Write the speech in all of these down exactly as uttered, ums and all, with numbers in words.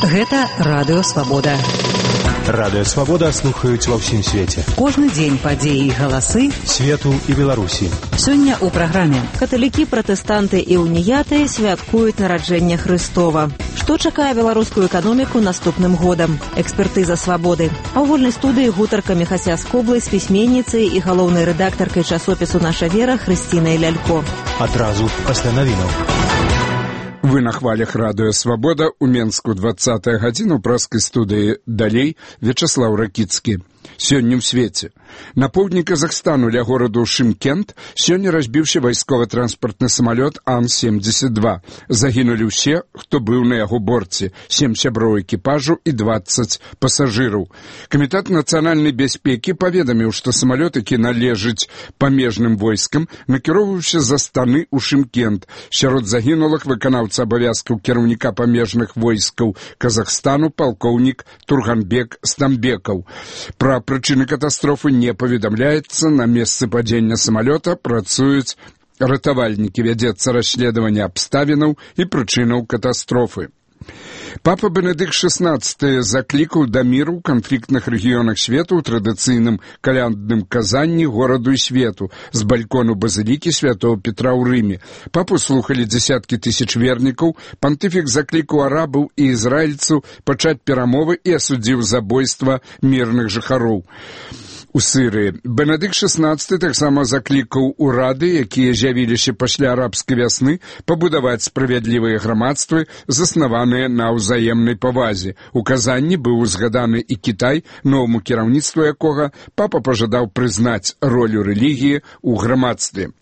Гэта Радыё Свабода. Радыё Свабода слухаюць ва ўсім свеце. Кожны дзень падзеі і галасы свету і Беларусі. Сёння ў праграме. Каталікі, пратэстанты і уніяты святкуюць нараджэнне Хрыстова. Што чакае беларускую эканоміку наступным годам? Экспертыза Свабоды. А ў вольнай студыі гутарка Міхася Скоблы з пісьменніцай і галоўнай рэдактаркай часопісу «Наша вера» Хрысцінай Лялько. Адразу пасля навінаў. Вы на хвалях Радыё Свабода у Менску двадцатая гадзіна ў праскай студыі «Далей» Вячаслаў Ракіцкі. Сёння ў свеце. На поўдні Казахстану ля гораду Шымкент сёння разбіўся вайсковы-транспартны самалёт Ан семьдесят два. Загінулі ўсе, хто быў на яго борце, сем сяброў экіпажу і дваццаць пасажыраў. Камітэт нацыянальнай бяспекі паведаміў, што самалёт, які належыць памежным войскам, накіроўваўся за станы ў Шымкент. Сярод загінулых выканаўца абавязкаў кіраўніка памежных войскаў Казахстану палкоўнік Турганбек Стамбекаў. Пра прычыны катастрофы не паведамляецца. На месцы падзення самалёта працуюць ратавальнікі. Вядзецца расследаванне абставінаў і прычынаў катастрофы. Папа Бенедыкт шестнадцаты заклікаў да міру ў канфліктных рэгіёнах свету ў традыцыйным калядным казанні гораду і свету з балькону базылікі святого Петра ў Рыме. Папу слухалі дзесяткі тысяч вернікаў. Пантыфік заклікаў арабаў і ізраільцаў пачаць перамовы і асудзіў забойства мірных жыхароў у Сырыі. Бенедыкт шестнадцаты таксама заклікаў урады, якія з'явіліся пасля арабскай вясны, пабудаваць справядлівыя грамадствы, заснаваныя на ўзаемнай павазе. У казанні быў узгаданы і Кітай, новаму кіраўніцтву якога папа пажадаў прызнаць ролю рэлігіі ў грамадстве.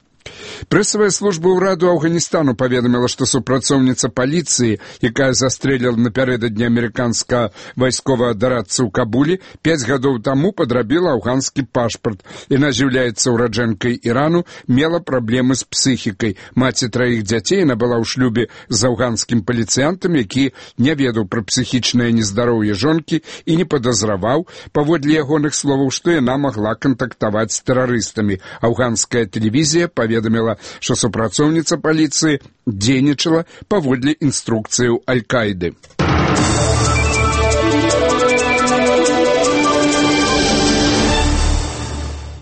Прэсавая служба ўраду Афганістану паведаміла, што супрацоўніца паліцыі, якая застрэліла напярэдадні амерыканскага вайсковага дарадца ў Кабулі, пяць гадоў таму падрабіла афганскі пашпарт. Яна з'яўляецца ўраджэнкай Ірану, мела праблемы з псіхікай. Маці траіх дзяцей, яна была ў шлюбе з афганскім паліцыянтам, які не ведаў пра псіхічнае нездароўе жонкі і не падазраваў, паводле ягоных словаў, што яна магла кантактаваць з тэрарыстамі. Афганская тэлевізія паведаміла, паведаміла, што супрацоўніца паліцыі дзейнічала паводле інструкцыяў Аль-Каіды.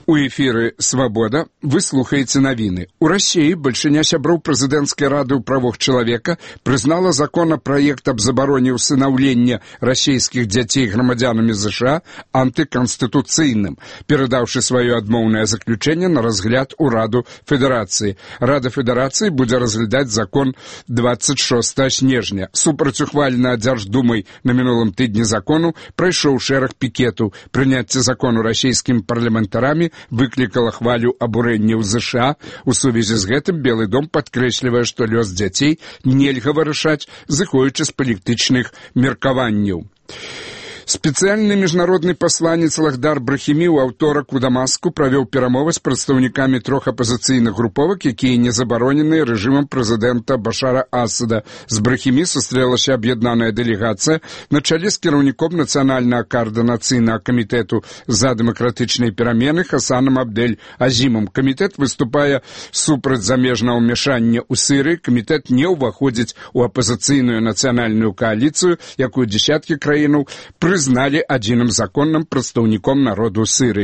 У эфіры «Свабода» вы слухаеце навіны. У Расіі бальшыня сяброў прэзідэнцкай рады ў правах чалавека прызнала законапраект аб забароне ўсынаўлення расійскіх дзяцей грамадзянамі ЗША антыканстытуцыйным, перадаўшы сваё адмоўнае заключэнне на разгляд у Раду Федэрацыі. Рада Федэрацыі будзе разглядаць закон двадцать шостага снежня. Супрацьухвальна Дзярждумай на мінулым тыдні закону прайшоў шэраг пікетаў. Прыняцце закону расійскімі парламентарамі выклікала хвалю абурэння ў ЗША. У сувязі з гэтым Белы дом падкрэслівае, што лёс дзяцей нельга вырашаць, зыходзячы з палітычных меркаванняў. Спецыяльны міжнародны пасланец Лахдар Брахімі ў аўторак у Дамаску правёў перамовы з прадстаўнікамі трох апазіцыйных груповак, якія не забароненыя рэжымам прэзідэнта Башара Асада. З Брахімі сустрэлася аб'яднаная дэлегацыя на чале з кіраўніком нацыянальнага каардынацыйнага камітэту за дэмакратычныя перамены Хасанам Абдель-Азімам. Камітэт выступае супраць замежнага ўмяшання ў Сырыі. Камітэт не ўваходзіць у апазіцыйную нацыянальную кааліцыю, якую дзесяткі краінаў прызналі адзіным законным прадстаўніком народу Сырыі.